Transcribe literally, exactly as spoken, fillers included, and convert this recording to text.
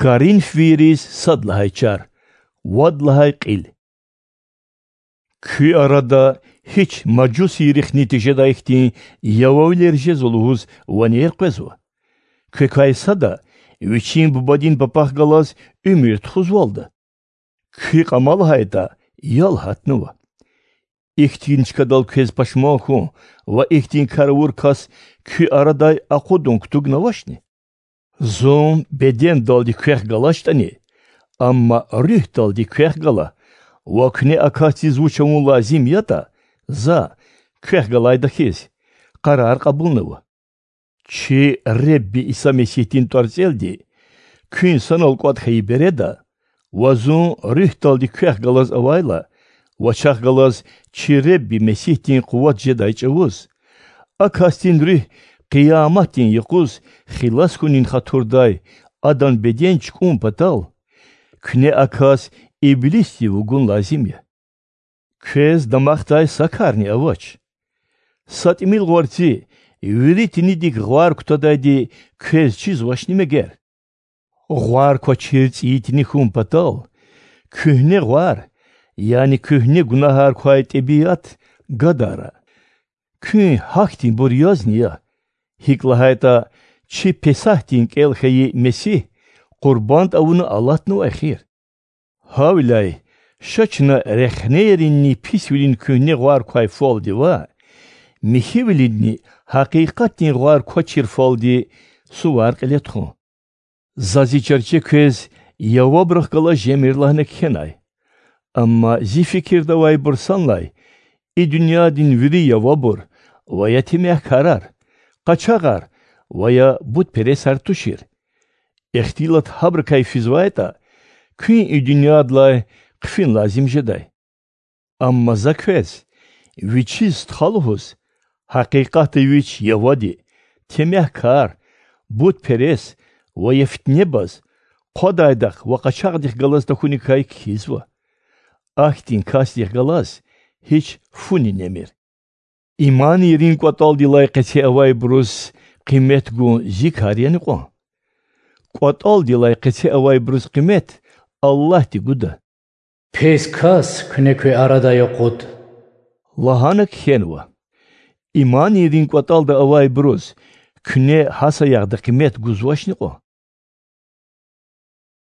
Коринфвийриз сад лагьай чар, вад лагьай кьил. Куь арада гьич мажусийрихъни тежедай хьтин явавилер жезва лугьуз ванер къвезва? Квекай сада вичин бубадин папахъ галаз уьмуьр тухузвалда? Куь кьама лагьайтӀа, ял гьатнава. Ихьтин чкадал квез пашман хьун ва ихьтин кар авур кас куь арадай акъудун кутугнавачни? Зун бедендалди квехъ галачтӀани, амма руьгьдалди квехъ гала, ва куьне а касдиз вуч авун лазим ятӀа, за, квехъ галайдахьиз, къарар кьабулнава. Чи Худа Иса Месигьдин тӀварцӀелди куьн санал кӀватӀ хьайи береда ва зун руьгьдалди квехъ галаз авайла, вачахъ галаз чи Худа Месигьдин къуват жедай чӀавуз, а касдин руьгь Къияматдин юкъуз хилас хьунин хатурдай адан беден чукӀун патал, куьне а кас иблисдив вугун лазим я. Квез дамахдай са карни авач. Са тӀимил гъварци вири тинидик гъвар кутадайди квез чизвачни мегер? Гъвар квачир цӀийи тини хьун патал, куьгьне гъвар, яни куьгьне гунагьар квай тӀебиат гадара. Куьн гьахьтинбур язни я, гьикӀ лагьайтӀа чи Песагьдин кӀел хьайи Месигь къурбанд авуна алатнавай хийир. Гьавиляй ша чна рехнейринни писвилин куьгьне гъвар квай фалди ваъ, михьивилинни гьакъикъатдин гъвар квачир фалди сувар кьиле тухун. За зи чарче квез явабрахъ галаз жемир лагьана кхьенай. Амма зи фикирда авайбур санлай и дуьньядин вири явабур ва я темягькарар, къачагъар ва я бутпересар тушир. Ихтилат гьабурукай физвайтӀа, куьн и дуьньядилай хъфин лазим жедай. Амма за квез, вичиз стха лугьуз, гьакъикъатда вич явади, темягькар, бутперес ва я фитнебаз, хъвадайдахъ ва къачагъдихъ галаз тахьуникай кхьизва. Ахьтин касдихъ галаз гьич фуни немир. Иманийрин кӀватӀалдилай къеце авайбуруз къимет гун зи кар яни кьван? КӀватӀалдилай къеце авайбуруз къимет Аллагьди гуда. Пис кас куьне куь арадай акъуд,– лагьана кхьенва. Иманийрин кӀватӀалда авайбуруз куьне гьа саягъда къимет гузвачни кьван?